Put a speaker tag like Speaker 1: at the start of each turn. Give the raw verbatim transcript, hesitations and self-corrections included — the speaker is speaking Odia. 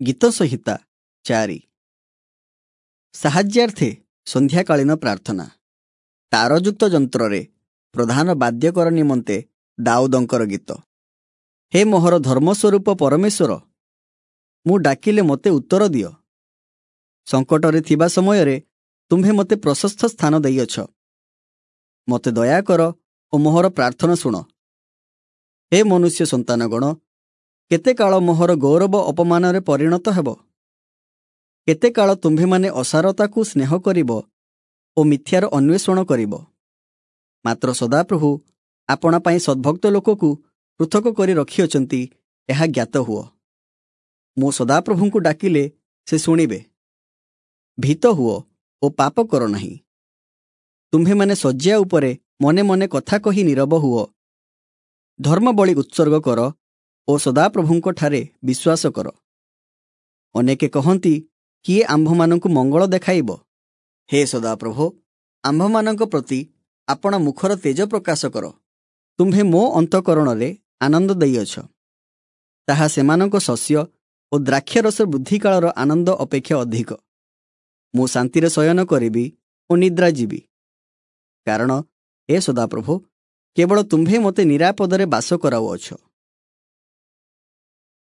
Speaker 1: ଗୀତ ସଂହିତା ଚାରି। ସାହାଯ୍ୟାର୍ଥେ ସନ୍ଧ୍ୟାକାଳୀନ ପ୍ରାର୍ଥନା। ତାରଯୁକ୍ତ ଯନ୍ତ୍ରରେ ପ୍ରଧାନ ବାଦ୍ୟକର ନିମନ୍ତେ ଦାଉଦଙ୍କର ଗୀତ। ହେ ମୋହର ଧର୍ମସ୍ୱରୂପ ପରମେଶ୍ୱର, ମୁଁ ଡାକିଲେ ମୋତେ ଉତ୍ତର ଦିଅ। ସଙ୍କଟରେ ଥିବା ସମୟରେ ତୁମ୍ଭେ ମୋତେ ପ୍ରଶସ୍ତ ସ୍ଥାନ ଦେଇଅଛ। ମୋତେ ଦୟା କର ଓ ମୋହର ପ୍ରାର୍ଥନା ଶୁଣ। ହେ ମନୁଷ୍ୟ ସନ୍ତାନଗଣ, କେତେ କାଳ ମୋହର ଗୌରବ ଅପମାନରେ ପରିଣତ ହେବ? କେତେ କାଳ ତୁମ୍ଭେମାନେ ଅସାରତାକୁ ସ୍ନେହ କରିବ ଓ ମିଥ୍ୟାର ଅନ୍ୱେଷଣ କରିବ? ମାତ୍ର ସଦାପ୍ରଭୁ ଆପଣା ପାଇଁ ସଦ୍ଭକ୍ତ ଲୋକକୁ ପୃଥକ କରି ରଖିଅଛନ୍ତି, ଏହା ଜ୍ଞାତ ହୁଅ। ମୁଁ ସଦାପ୍ରଭୁଙ୍କୁ ଡାକିଲେ ସେ ଶୁଣିବେ। ଭୀତ ହୁଅ ଓ ପାପ କର ନାହିଁ। ତୁମ୍ଭେମାନେ ଶଯ୍ୟା ଉପରେ ମନେ ମନେ କଥା କହି ନୀରବ ହୁଅ। ଧର୍ମବଳି ଉତ୍ସର୍ଗ କର ଓ ସଦାପ୍ରଭୁଙ୍କଠାରେ ବିଶ୍ୱାସ କର। ଅନେକେ କହନ୍ତି, କିଏ ଆମ୍ଭମାନଙ୍କୁ ମଙ୍ଗଳ ଦେଖାଇବ? ହେ ସଦାପ୍ରଭୋ, ଆମ୍ଭମାନଙ୍କ ପ୍ରତି ଆପଣା ମୁଖର ତେଜ ପ୍ରକାଶ କର। ତୁମ୍ଭେ ମୋ ଅନ୍ତଃକରଣରେ ଆନନ୍ଦ ଦେଇଅଛ, ତାହା ସେମାନଙ୍କ ଶସ୍ୟ ଓ ଦ୍ରାକ୍ଷାରସ ବୃଦ୍ଧିକାଳର ଆନନ୍ଦ ଅପେକ୍ଷା ଅଧିକ। ମୁଁ ଶାନ୍ତିରେ ଶୟନ କରିବି ଓ ନିଦ୍ରା ଯିବି, କାରଣ ହେ ସଦାପ୍ରଭୋ, କେବଳ ତୁମ୍ଭେ ମୋତେ ନିରାପଦରେ ବାସ କରାଉଅଛ।